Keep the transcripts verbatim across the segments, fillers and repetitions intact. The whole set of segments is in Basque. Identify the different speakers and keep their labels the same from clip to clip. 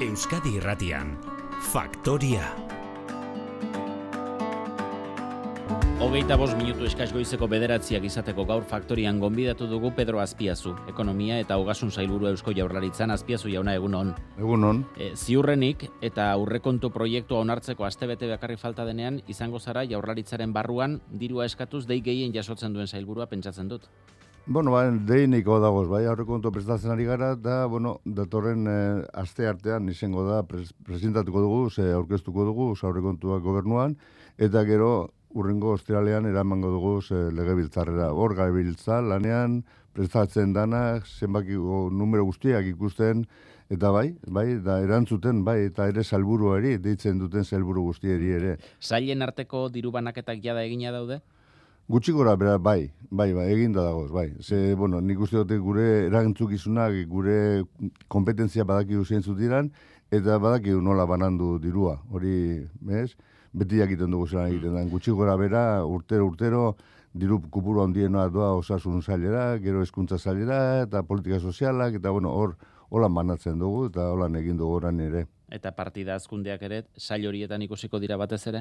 Speaker 1: Euskadi Irratian, Faktoria.
Speaker 2: Hogeita bost minutu eskaz goizeko bederatziak izateko gaur Faktorian gonbidatu dugu Pedro Azpiazu, ekonomia eta ogasun sailburua Eusko Jaurlaritzan. Azpiazu jauna, egunon.
Speaker 3: Egunon.
Speaker 2: E, ziurrenik eta aurrekontu proiektua onartzeko astebete bakarri falta denean, izango zara Jaurlaritzaren barruan dirua eskatuz dei gehien jasotzen duen sailburua, pentsatzen dut.
Speaker 3: Bueno, ba, deiniko dagoz, bai, aurrekontu prestatzen ari gara, eta, bueno, datorren eh, aste artean izango da pres, presentatuko dugu, ze aurkeztuko dugu, aurrekontuak gobernuan, eta gero urrengo ostiralean eramango dugu ze legebiltzarrera. Hor gabiltza lanean prestatzen dana, zenbakiko numero guztiak ikusten, eta bai, bai, da erantzuten, bai, eta ere salburuari, deitzen duten salburu guztieri ere.
Speaker 2: Sailen arteko diru banaketak jada egina daude?
Speaker 3: Gutxi gora, bera, bai, bai, bai, eginda dagoz, bai. Ze, bueno, nik uste dute gure erantzukizunak, gure kompetentzia badakigu zeintzuk diran, eta badakigu nola banandu dirua. Hori, bez, beti jakiten dugu zelan egiten da. Gutxi gora, bera, urtero, urtero, diru kupuru handiena doa osasun zailera, gero hezkuntza zailera, eta politika sozialak, eta, bueno, hor, holan banatzen dugu, eta holan egin dugu oran ere.
Speaker 2: Eta partida azkundeak ere, sail horietan ikusiko dira batez ere?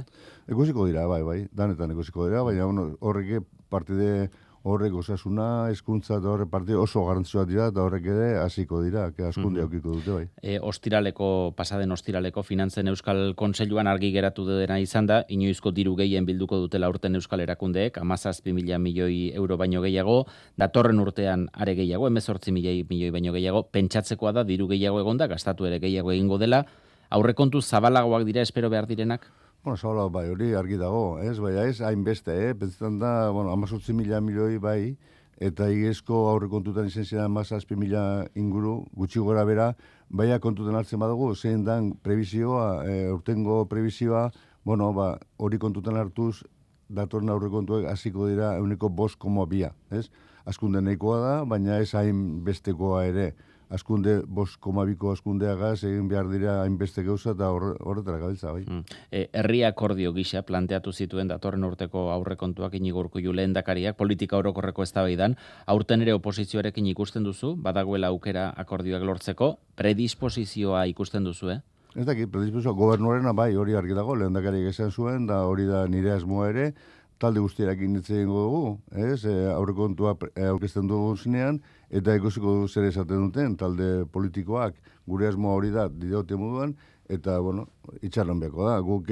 Speaker 3: Ikusiko dira, bai, bai, danetan ikusiko dira, baina bueno, horrek partide horrek osasuna, hezkuntza eta horrek partide oso garrantzitsua dira, eta horrek ere hasiko dira, que azkunde aukiko dute, bai.
Speaker 2: E, ostiraleko, pasaden ostiraleko Finantzen Euskal Kontseiluan argi geratu dena izan da, inoizko diru gehien bilduko dutela urten Euskal Erakundeek, hamazazpi mila milioi euro baino gehiago, datorren urtean are gehiago, hemezortzi milioi milioi baino gehiago, pentsatzekoa da diru gehiago egonda, gastatu ere gehiago egingo dela, aurrekontu zabalagoak dira espero behar direnak?
Speaker 3: Bueno, zabalago bai, hori argi dago, ez? Baina ez, hainbeste, eh? Pentsetan da, bueno, hamazortzi mila milioi bai, eta igezko aurrekontutan izan ziren hamazazpi mila inguru, gutxi gora bera, baina kontutan hartzen badugu, zein dan prebizioa, e, urtengo prebizioa, bueno, ba, hori kontutan hartuz, datorren aurrekontuek hasiko dira euneko bost koma bia, ez? Azkunde nahikoa da, baina ez hain bestekoa ere. Azkunde, bost koma biko azkundeagaz, egin behar dira hainbeste gauza eta horretara gabiltza, bai.
Speaker 2: Mm. E, herri akordio gisa planteatu zituen datorren urteko aurrekontuak Inigo Urkullu lehendakariak politika orokorreko eztabaidan, aurten ere oposizioarekin ikusten duzu, badagoela aukera akordioak lortzeko, predisposizioa ikusten duzu, eh?
Speaker 3: Ez dakit, predisposizioa gobernuarena bai, hori argi dago, lehendakariak esan zuen, da hori da nire asmoa ere, talde guztiarekin hitz egingo dugu, ez? E, aurrekontua aurkezten dugu zinean, eta ikusiko du zer esaten duten, talde politikoak gure asmoa hori da, diote moduan, eta, bueno, itxaron beko da. Guk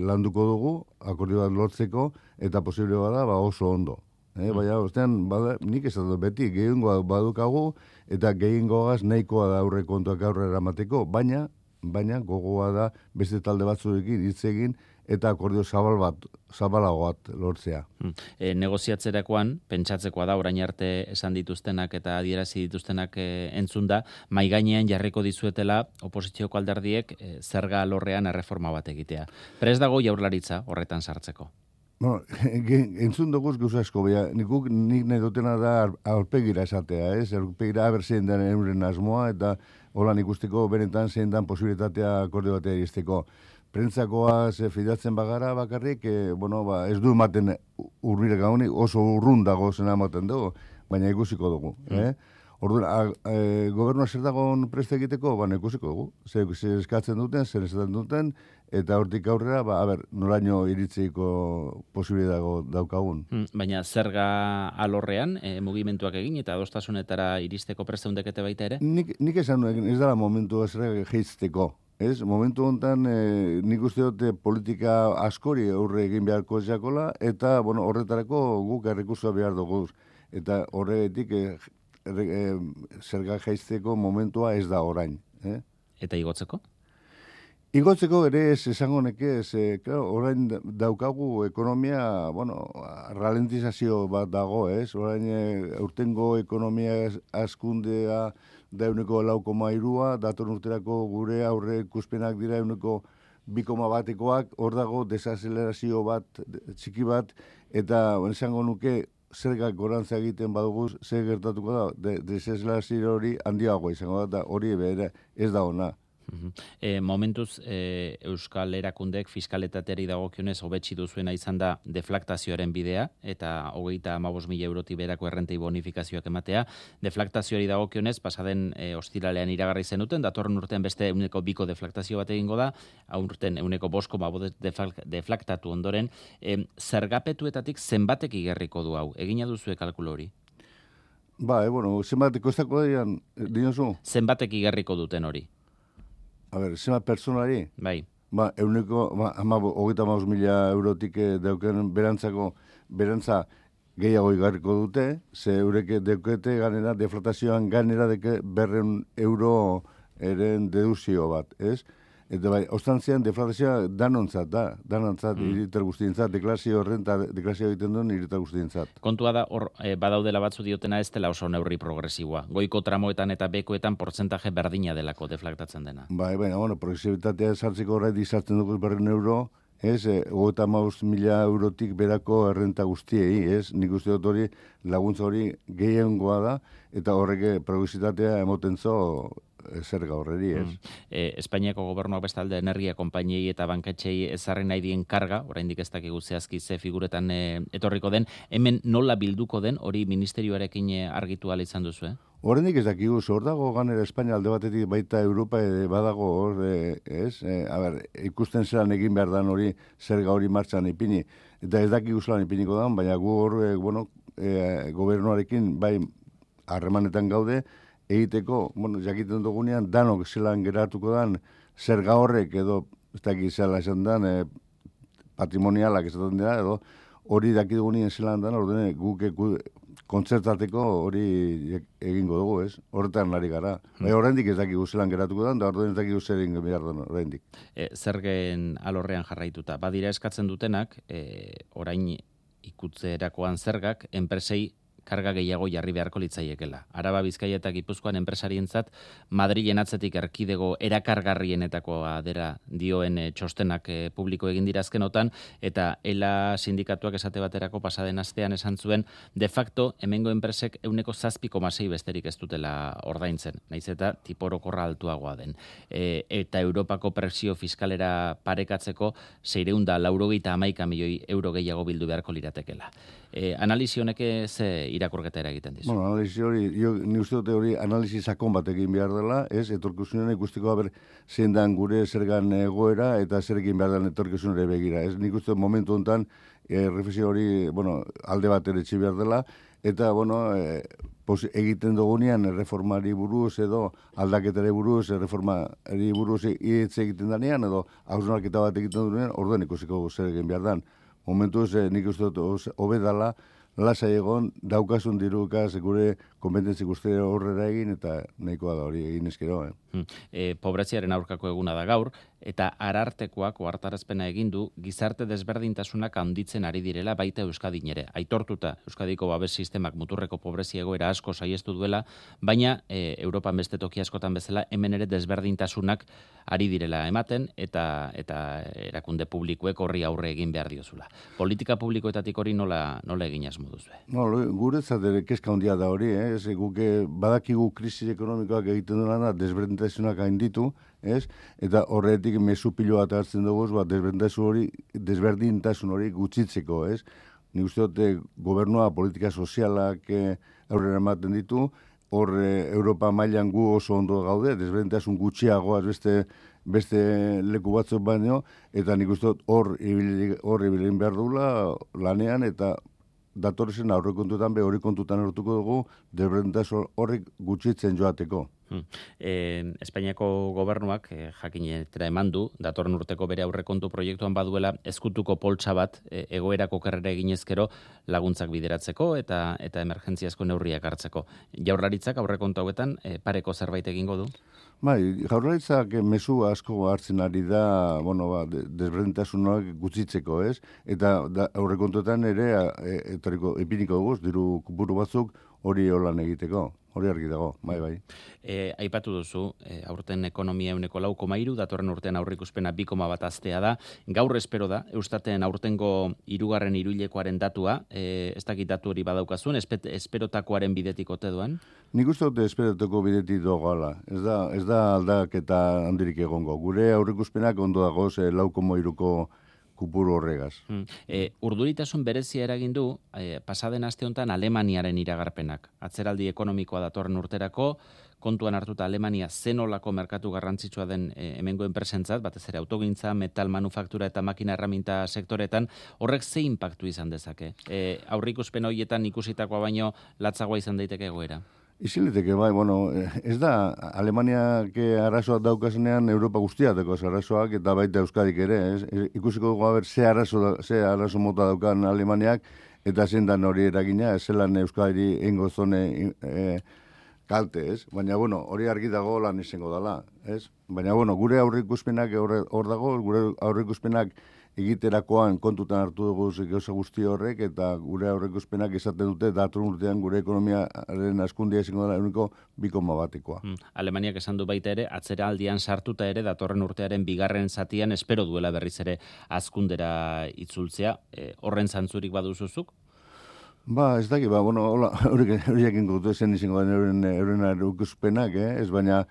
Speaker 3: landuko dugu, akordio bat lortzeko, eta posible bada, ba oso ondo. Eh? Mm. Baina, ostean, bada, nik esatu beti, gehiengoa badukagu, eta gehiengoaz nahikoa da aurrekontuak aurrera eramateko, baina, baina gogoa da beste talde batzuekin hitz egin, eta akordio zabal bat, zabalago bat lortzea.
Speaker 2: Hmm. E, negoziatzerakoan, pentsatzekoa da, orain arte esan dituztenak eta adierazi dituztenak e, entzun da, mai gainean jarriko dizuetela oposizioko alderdiek e, zerga alorrean erreforma bat egitea. Prest dago Jaurlaritza horretan sartzeko?
Speaker 3: Bueno, entzun duguz gauza asko, bea, nikuk nik nahi dutena da aurpegira esatea, ez? Aurpegira haber zein den euren asmoa, eta holan ikusteko benetan zein den posibilitatea akordio batea iristeko. Prentzakoa ze fidatzen bagara bakarrik, e, bueno, ba, ez du ematen urbilek gaunik, oso urrun dago zena ematen dugu, baina ikusiko dugu. Mm. Eh? Orduan, e, gobernua zer dagoen preste egiteko, baina ikusiko dugu. Zer, zer eskatzen duten, zer esaten duten, eta hortik aurrera, ba, a ber, noraino iritziko posibilitago daukagun.
Speaker 2: Mm, baina zerga alorrean, e, mugimenduak egin eta adostasunetara iristeko presteundekete baita ere?
Speaker 3: Nik, nik esan nuen, ez dara momentu zerga gehitzteko. Ez, momentu honetan e, nik uste dute politika askori aurre egin beharko jakola, eta bueno, horretarako guk errekursoa behar dugu. Eta horretik e, e, zerga jaizteko momentua ez da orain. Eh?
Speaker 2: Eta igotzeko?
Speaker 3: Igotzeko ere ez esango neke, ez, e, claro, orain daukagu ekonomia, bueno, ralentizazio bat dago, ez? Orain e, urtengo ekonomia azkundea da euneko lau koma irua, dator urterako gure aurre ikuspenak dira euneko bi koma batekoak, hor dago desazelerazio bat, txiki bat, eta esango nuke zergak gorantza egiten badugu, zer gertatuko da, de, desazelerazio hori handiagoa izango da, hori bere ez da ona.
Speaker 2: E, momentuz, e, Euskal Erakundeek fiskaletateari dagokionez hobetsi duzuena izan da deflaktazioaren bidea, eta hogeita hamabost mila eurotik berako errentei bonifikazioak ematea. Deflaktazioari dagokionez, pasaden e, ostiralean iragarri zenuten, datorren urtean beste euneko biko deflaktazio bat egingo da, aurten euneko bosko deflaktatu ondoren. E, zergapetuetatik zenbatek igerriko du hau? Egina duzue kalkulo hori?
Speaker 3: Ba, e, bueno, zenbatek kostako dian, dinozu?
Speaker 2: Zenbatek igerriko duten hori?
Speaker 3: A ber, zenbat personari?
Speaker 2: Bai.
Speaker 3: Ba, euneko, ba, ama, hogeita maus mila eurotik deuken berantzako, berantza gehiago igarriko dute, ze eureke deukete ganera, deflatazioan ganera deke berren euro eren deduzio bat, ez? Eta bai, ostantzian deflatazioa danontzat da, danontzat, mm. hiritar guztientzat, deklarazio renta, deklarazio egiten duen hiritar guztientzat.
Speaker 2: Kontua da, hor, e, badaudela batzu diotena ez dela oso neurri progresiboa. Goiko tramoetan eta bekoetan portzentaje berdina delako deflaktatzen dena.
Speaker 3: Bai, baina, bueno, progresibitatea sartzeko horret izartzen dugu berren euro, ez, hogeita hamabost mila eurotik berako errenta guztiei, ez, nik uste dut hori laguntza hori gehiengoa da, eta horrek progresibitatea emoten zo zerga horreri, ez?
Speaker 2: Mm. E, Espainiako gobernuak bestalde energia konpainiei eta banketxei ezarri nahi dien karga, oraindik ez dakigu zehazki ze figuretan e, etorriko den, hemen nola bilduko den, hori ministerioarekin argitu ala izan duzu, eh?
Speaker 3: Horrendik ez dakigu, hor dago ganera Espainia alde batetik baita Europa ere badago hor, e, ez? E, a ber, ikusten zelan egin behar dan hori zerga hori martxan ipini, eta ez dakigu zelan ipiniko dan, baina gu hor, e, bueno, e, gobernuarekin bai harremanetan gaude, egiteko, bueno, jakiten dugunean, danok zelan geratuko dan, zerga horrek edo, ez dakit zela esan dan, e, patrimonialak esaten dira, edo hori dakit dugunean zelan dan, ordene guk kontzertateko hori egingo dugu, ez? Horretan nari gara. Hmm. Bai, oraindik ez dakigu zelan geratuko dan, da ordene ez dakigu zer egin behar den oraindik.
Speaker 2: E, zergen alorrean jarraituta. Badira eskatzen dutenak, e, orain ikutzerakoan zergak, enpresei karga gehiago jarri beharko litzaiekela. Araba, Bizkaia eta Gipuzkoan enpresarientzat Madrilen atzetik erkidego erakargarrienetakoa dela dioen e, txostenak e, publiko egin dira azkenotan, eta ELA sindikatuak esate baterako pasaden astean esan zuen, de facto, hemengo enpresek euneko zazpi koma sei besterik ez dutela ordaintzen, naiz eta tiporokorra altuagoa den. E, eta Europako presio fiskalera parekatzeko seiehun eta laurogeita hamaika milioi euro gehiago bildu beharko liratekela. E, analizi honek ze irakurketa egiten dizu.
Speaker 3: Bueno, analizi hori, jo, ni uste dute hori analizi sakon bat egin behar dela, ez, etorkizunean ikusteko haber zein dan gure zergan egoera eta zer egin behar dela etorkizunere begira. Ez, nik uste momentu honetan, e, reflexio hori, bueno, alde bat ere etxi behar dela, eta, bueno, e, pos, egiten dugunean reformari buruz edo aldaketare buruz, reformari buruz hitz egiten danean, edo hausnarketa bat egiten dugunean, orduan ikusiko zer egin behar dan. Momentuz, eh, nik uste dut hobedala, lasai egon, daukasun dirukaz, gure konbententzik uste horrera egin, eta nahikoa da hori egin eskero. Eh?
Speaker 2: Hmm. E, pobreziaren aurkako eguna da gaur, eta arartekoak ohartarazpena egin du gizarte desberdintasunak handitzen ari direla baita Euskadin ere. Aitortuta Euskadiko babes sistemak muturreko pobrezia egoera asko saiestu duela, baina e, Europan beste toki askotan bezala hemen ere desberdintasunak ari direla ematen, eta eta erakunde publikoek horri aurre egin behar diozula. Politika publikoetatik hori nola, nola egin asmo duzu?
Speaker 3: No, guretzat ere kezka handia da hori, eh? Ez, guke badakigu krisi ekonomikoak egiten duena desberdintasunak gainditu, ez? Eta horretik mezu pilo bat hartzen dugu, ba, desberdintasun hori, desberdintasun hori gutxitzeko, ez? Nik uste dute gobernua politika sozialak eh, aurrera ematen ditu, hor eh, Europa mailan gu oso ondo gaude, desberdintasun gutxiagoaz beste beste leku batzuk baino, eta nik uste dut hor ibilin behar dugula lanean, eta datorren aurrekontuetan be hori kontutan hartuko dugu desberdintasun horrek gutxitzen joateko.
Speaker 2: Hmm. E, Espainiako gobernuak e, jakinetera eman du, datorren urteko bere aurrekontu proiektuan baduela ezkutuko poltsa bat e, egoerako kerrera eginezkero laguntzak bideratzeko eta eta emergentziazko neurriak hartzeko. Jaurlaritzak aurrekontu hauetan e, pareko zerbait egingo du?
Speaker 3: Bai, jaurlaritzak mezu asko hartzen ari da, bueno, ba, desberdintasunak gutxitzeko, ez? Eta da, aurrekontuetan ere e, etoriko ipiniko dugu, diru buru batzuk hori holan egiteko. hori argi dago, bai, bai.
Speaker 2: E, aipatu duzu, e, aurten ekonomia euneko lau koma hiru, datorren urtean aurreikuspena bi koma bat aztea da. Gaur espero da, Eustaten aurtengo hirugarren hiruhilekoaren datua, e, ez dakit datu hori badaukazun, espet, esperotakoaren bidetik ote duen?
Speaker 3: Nik uste dute esperotako bidetik dogoala. Ez da, ez da aldaketa handirik egongo. Gure aurreikuspenak ondo dago, ze lau koma hiruko kupuru horregaz.
Speaker 2: Hmm. E, urduritasun berezia eragin du, e, pasaden aste honetan Alemaniaren iragarpenak. Atzeraldi ekonomikoa datorren urterako, kontuan hartuta Alemania zenolako merkatu garrantzitsua den e, hemengo enpresentzat, batez ere autogintza, metal manufaktura eta makina erraminta sektoretan, horrek ze inpaktu izan dezake? E, aurrikuspen horietan ikusitakoa baino latzagoa izan daiteke egoera?
Speaker 3: Iziliteke, bai, bueno, ez da Alemaniak arazoak daukazenean Europa guztiateko arazoak eta baita Euskadik ere, ez? Ikusiko dugu haber ze arazo, ze arazo mota daukan Alemaniak eta zein dan hori eragina, ez zelan Euskadi ingo zone e, kalte, ez? Baina, bueno, hori argi dago lan izango dela, ez? Baina, bueno, gure aurreikuspenak hor dago, gure aurreikuspenak egiterakoan kontutan hartu dugu gauza guzti horrek, eta gure aurreikuspenak esaten dute datorren urtean gure ekonomiaren hazkundea izango dela ehuneko bi koma batekoa.
Speaker 2: Hmm. Alemaniak esan du baita ere, atzera aldian sartuta ere, datorren urtearen bigarren zatian espero duela berriz ere hazkundera itzultzea. E, horren zantzurik baduzuzuk?
Speaker 3: Ba, ez daki, ba, bueno, horiek ingotu zen izango den euren, euren aurreikuspenak, eh? Ez baina,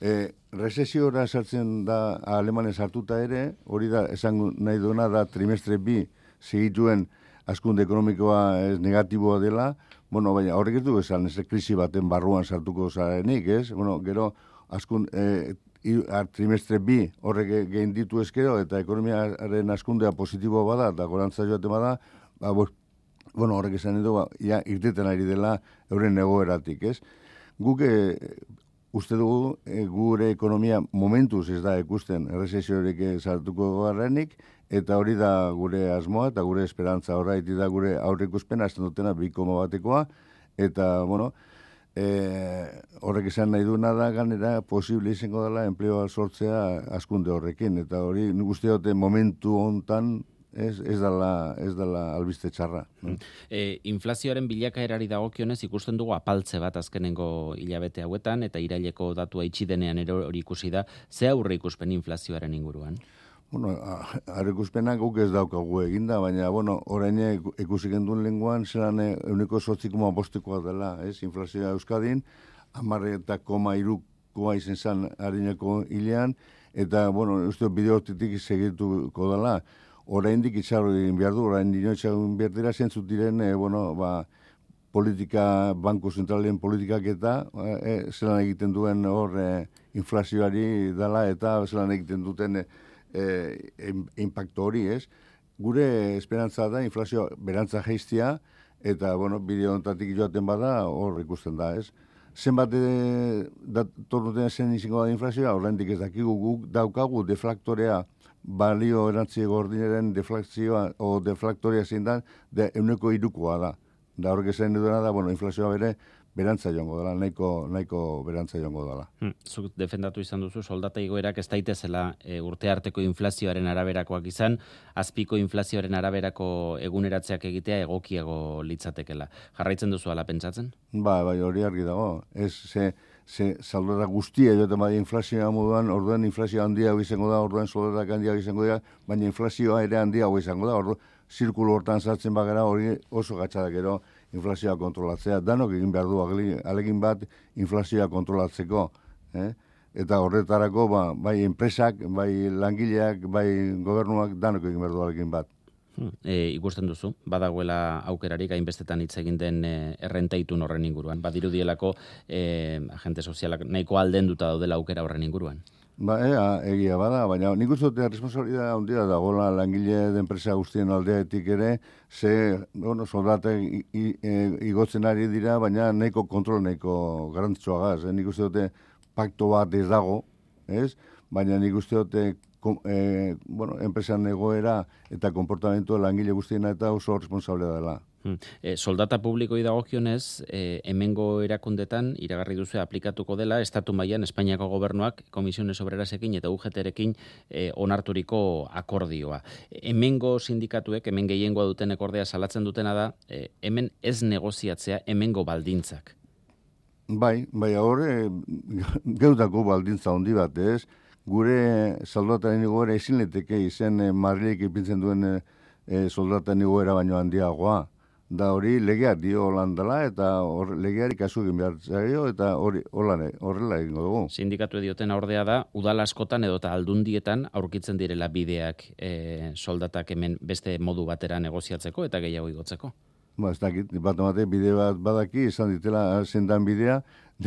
Speaker 3: E, Rezesiora sartzen da Alemania sartuta ere, hori da, esan nahi duena da trimestre bi segituen hazkunde ekonomikoa ez negatiboa dela, bueno, baina horrek ez du esan, ez krisi baten barruan sartuko zarenik, ez? Bueno, gero, hazkun, e, trimestre bi horrek gehin ditu ezkero, eta ekonomiaren hazkundea positiboa bada, eta gorantza joaten bada, ba, bueno, horrek esan edo, ba, ja, irteten ari dela euren egoeratik, ez? Guk uste dugu e, gure ekonomia momentuz ez da ikusten errezesiorik sartuko garrenik, eta hori da gure asmoa eta gure esperantza horreiti da gure aurreikuspena azten dutena bi koma batekoa, eta, bueno, e, horrek esan nahi duena da ganera posible izango dela enpleoa sortzea hazkunde horrekin, eta hori nik uste dute momentu hontan Ez, ez dela, ez dela albiste txarra. No?
Speaker 2: E, inflazioaren bilakaerari dagokionez ikusten dugu apaltze bat azkenengo hilabete hauetan, eta iraileko datua itxi denean ere hori ikusi da, ze aurre ikuspen inflazioaren inguruan?
Speaker 3: Bueno, aurre ikuspenak guk ez daukagu eginda, baina, bueno, orain ikusi genduen lenguan, zelan euneko sortzikoma bostekoa dela, ez, inflazioa Euskadin, amarre eta koma irukoa izen zan harineko hilean, eta, bueno, uste bideotitik segituko dela, oraindik itxarro egin behar du, orain dino itxarro behar dira, zentzut diren, e, bueno, ba, politika, banku zentralen politikak eta e, zelan egiten duen hor e, inflazioari dela eta zelan egiten duten e, e, impacto hori, ez? Gure esperantza da inflazio berantza jeiztia eta, bueno, bideo ontatik joaten bada hor ikusten da, ez? Zenbat datorruten zen izango da inflazioa, oraindik ez dakigu guk daukagu deflaktorea balio erantzi gordinaren deflazioa o deflaktoria zein da, de euneko irukoa da. Da horrek esan dudana da, bueno, inflazioa bere berantza joango dela, nahiko, nahiko berantza joango dela.
Speaker 2: Hmm, zuk defendatu izan duzu, soldata igoerak ez daitezela e, urte arteko inflazioaren araberakoak izan, azpiko inflazioaren araberako eguneratzeak egitea egokiago litzatekela. Jarraitzen duzu ala pentsatzen?
Speaker 3: Ba, bai, hori argi dago. Ez, ze, ze saldora guztia joten bai inflazioa moduan, orduan inflazioa handia izango da, orduan soldatak handia izango da, baina inflazioa ere handia izango da, orduan zirkulo hortan sartzen bagara hori oso gatzadak gero inflazioa kontrolatzea. Danok egin behar du alegin bat inflazioa kontrolatzeko. Eh? Eta horretarako ba, bai enpresak, bai langileak, bai gobernuak danok egin behar du alegin bat.
Speaker 2: E, ikusten duzu, badagoela aukerarik hainbestetan hitz egin den e, errentaitun horren inguruan. Badirudielako e, agente sozialak nahiko aldenduta daudela aukera horren inguruan.
Speaker 3: Ba, ea, egia bada, baina nik uste dute responsabilidad handia dagoela langile de enpresa guztien aldeetik ere, ze, bueno, soldatek igotzen ari dira, baina nahiko kontrol nahiko garrantzitsuagaz. Eh? Nik uste dute pakto bat ez dago, ez? Baina nik uste dute eh, bueno, enpresan egoera eta konportamentu langile guztiena eta oso responsable dela.
Speaker 2: Hmm. E, soldata publikoi dagokionez, e, hemengo erakundetan iragarri duzu aplikatuko dela estatu mailan Espainiako gobernuak Komisiones Obrerasekin eta U G T-rekin e, onarturiko akordioa. Hemengo sindikatuek, hemen gehiengoa duten akordea salatzen dutena da, e, hemen ez negoziatzea hemengo baldintzak.
Speaker 3: Bai, bai, horre, geutako baldintza handi bat, ez? Gure soldataren igoera ezin leteke izen e, Madrilek ipintzen duen e, e, soldataren igoera baino handiagoa. Da hori legeak dio holan dela eta hor, legeari kasu egin behar zaio eta hori holan, horrela egingo dugu.
Speaker 2: Sindikatu dioten ordea da, udal askotan edo eta aldundietan aurkitzen direla bideak e, soldatak hemen beste modu batera negoziatzeko eta gehiago igotzeko.
Speaker 3: Ba, ez dakit, bat emate bide bat badaki, izan ditela zendan bidea,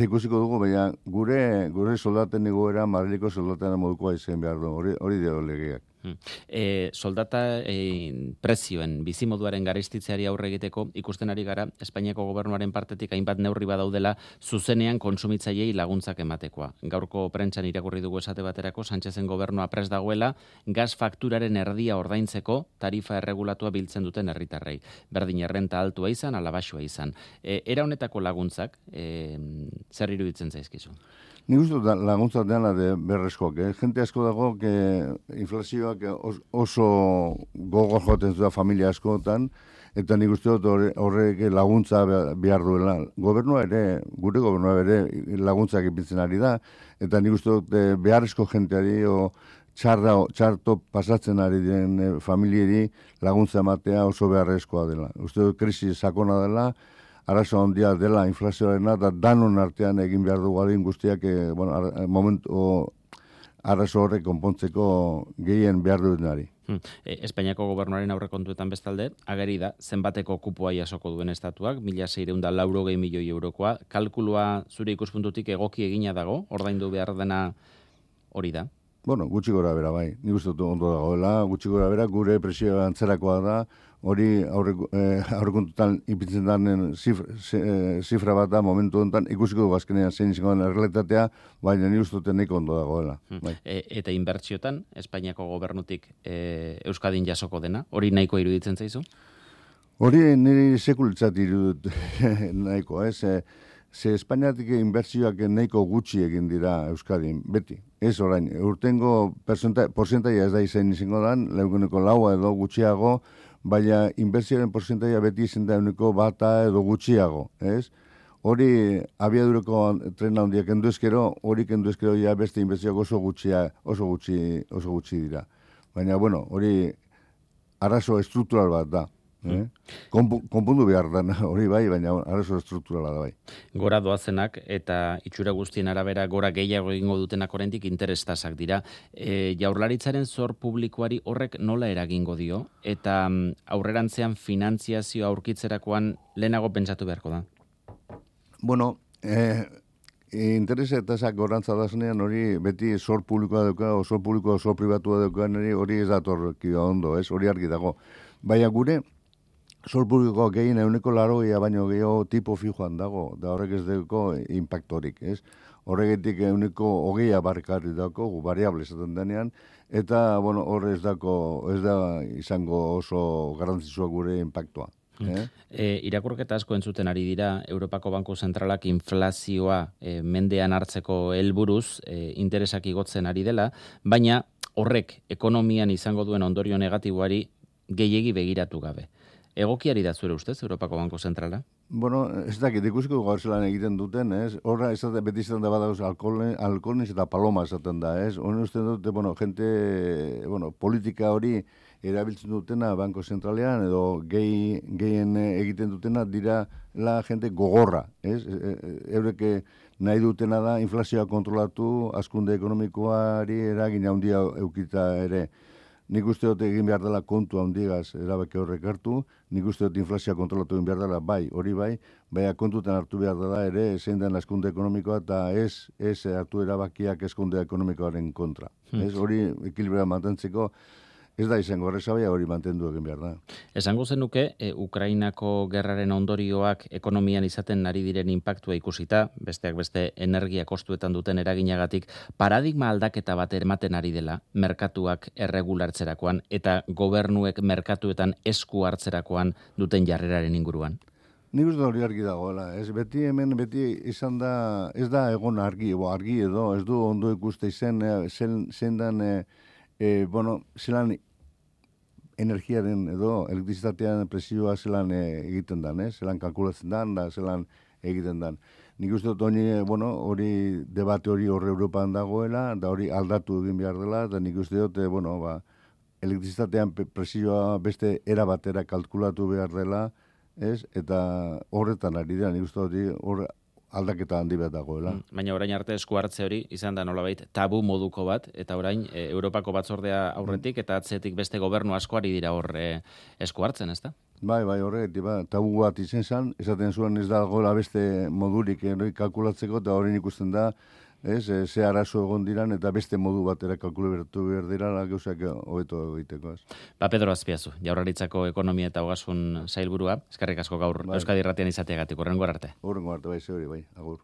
Speaker 3: ikusiko dugu, baina gure, gure soldaten egoera, Madrileko soldaten modukoa izan behar du, hori, hori dio legeak.
Speaker 2: E, soldata e, prezioen bizimoduaren garestitzeari aurre egiteko ikusten ari gara Espainiako gobernuaren partetik hainbat neurri badaudela zuzenean kontsumitzaileei laguntzak ematekoa. Gaurko prentsan irakurri dugu esate baterako Sánchezen gobernua prest dagoela gas fakturaren erdia ordaintzeko tarifa erregulatua biltzen duten herritarrei. Berdin errenta altua izan, ala baxua izan. E, era honetako laguntzak e, zer iruditzen zaizkizu?
Speaker 3: Nik uste laguntza dena de berrezkoak, eh? Jente asko dago, que inflazioak oso gogor joten zuen familia askotan, eta nik uste dut horrek laguntza behar duela. Gobernua ere, gure gobernua ere laguntzak ipintzen ari da, eta nik uste dut beharrezko jenteari o txarra, txarto pasatzen ari den familieri laguntza ematea oso beharrezkoa dela. Uste dut krisi sakona dela, arazo handia dela inflazioarena, eta danon artean egin behar dugu adin guztiak, e, bueno, ar, momentu arazo horrek konpontzeko gehien behar dutenari.
Speaker 2: Hmm. E, Espainiako gobernuaren aurrekontuetan bestalde, ageri da, zenbateko kupoa jasoko duen estatuak, mila seiehun eta laurogei milioi eurokoa, kalkulua zure ikuspuntutik egoki egina dago, ordaindu behar dena hori da?
Speaker 3: Bueno, gutxi gora bera, bai. Nik uste dut ondo dagoela, gutxi gora bera, gure presio antzerakoa da, hori aurrekontutan eh, ipintzen danen zifra, zifra bat da momentu honetan, ikusiko dugu azkenean zein izango den errealitatea, baina nik uste dut nahiko ondo dagoela. Bai.
Speaker 2: E, eta inbertsiotan, Espainiako gobernutik e, Euskadin jasoko dena, hori nahiko iruditzen zaizu?
Speaker 3: Hori niri sekulitzat irudut nahiko, ez? Eh? Ze Espainiatik inbertsioak nahiko gutxi egin dira Euskadin, beti. Ez orain, urtengo porcentaia ez da izan izango dan, lehenko laua edo gutxiago, baina inbertsioaren porcentaia beti izan da euneko bata edo gutxiago, ez? Hori abiadureko trena handiak kendu ezkero, hori kendu ezkero ja beste inbertsioak oso gutxia, oso gutxi, oso gutxi dira. Baina, bueno, hori arazo estruktural bat da. Eh? Konpundu behar da, hori bai, baina arazo estrukturala da bai.
Speaker 2: Gora doazenak eta itxura guztien arabera gora gehiago egingo dutenak oraindik interestasak dira. E, jaurlaritzaren zor publikoari horrek nola eragingo dio eta aurrerantzean finantziazioa aurkitzerakoan lehenago pentsatu beharko da?
Speaker 3: Bueno, eh, interesa eta esak gorantza dazenean hori beti zor publikoa dauka, o zor publikoa, zor pribatua dauka, hori ez datorkia ondo, ez? Hori argi dago. Baina gure, zor publikoa gehien euneko laroia baino gehiago tipo fijoan dago, da horrek ez dugu impactorik, ez? Horregetik euneko hogeia barkarri dago, variable esaten denean, eta, bueno, horre ez dako, ez da izango oso garrantzitsua gure impactoa. Eh?
Speaker 2: E, irakurketa asko entzuten ari dira, Europako Banku Zentralak inflazioa e, mendean hartzeko helburuz e, interesak igotzen ari dela, baina horrek ekonomian izango duen ondorio negatiboari gehiegi begiratu gabe. Egokiari da zure ustez, Europako Banku Zentrala?
Speaker 3: Bueno, ez dakit, ikusiko gaur zelan egiten duten, ez? Horra, ez da, beti izaten da badauz alkoholniz eta paloma esaten da, ez? Hone uste dute, bueno, jente, bueno, politika hori erabiltzen dutena Banko Zentralean edo gehi, gehien egiten dutena dira la jente gogorra, ez? Eureke nahi dutena da inflazioa kontrolatu, hazkunde ekonomikoari eragin handia eukita ere. Nik uste dut egin behar dela kontu handigaz erabaki horrek hartu, nik uste dut inflazioa kontrolatu egin behar dela, bai, hori bai, baina kontutan hartu behar dela ere, zein den hazkunde ekonomikoa eta ez, ez hartu erabakiak hazkunde ekonomikoaren kontra. Hmm. Ez hori ekilibrea mantentzeko, ez da izango horrezabaia hori mantendu egin behar da.
Speaker 2: Esango zenuke, e, Ukrainako gerraren ondorioak ekonomian izaten ari diren inpaktua ikusita, besteak beste energia kostuetan duten eraginagatik, paradigma aldaketa bat ematen ari dela, merkatuak erregulartzerakoan eta gobernuek merkatuetan esku hartzerakoan duten jarreraren inguruan.
Speaker 3: Nik uste hori argi dagoela, ez beti hemen, beti izan da, ez da egon argi, bo, argi edo, ez du ondo ikuste izen, zen, zen dan, e, e, bueno, zelan energiaren edo elektrizitatean presioa zelan e, egiten dan, eh? Zelan kalkulatzen dan, da zelan egiten dan. nik uste dut hori, bueno, hori debate hori horre Europan dagoela, da hori aldatu egin behar dela, eta nik uste dut, bueno, ba, elektrizitatean presioa beste era batera kalkulatu behar dela, ez? Eta horretan ari dira, nik uste dut hor aldaketa handi bat dagoela.
Speaker 2: Baina orain arte esku hartze hori izan da nolabait tabu moduko bat, eta orain e, Europako batzordea aurretik eta atzetik beste gobernu asko ari dira hor e, esku hartzen, ezta?
Speaker 3: Bai, bai, horregatik, ba, tabu bat izen zen, esaten zuen ez dagoela beste modurik eroi kalkulatzeko, eta horrein ikusten da, ez, e, ze arazo egon diran, eta beste modu batera kalkulatu behar dira, gauzak hobeto egiteko, ez.
Speaker 2: Ba, Pedro Azpiazu, Jaurlaritzako ekonomia eta ogasun sailburua, eskerrik asko gaur bai. Euskadi Irratian izateagatik, horrengo arte.
Speaker 3: Horrengo arte, bai, ze hori, bai, agur.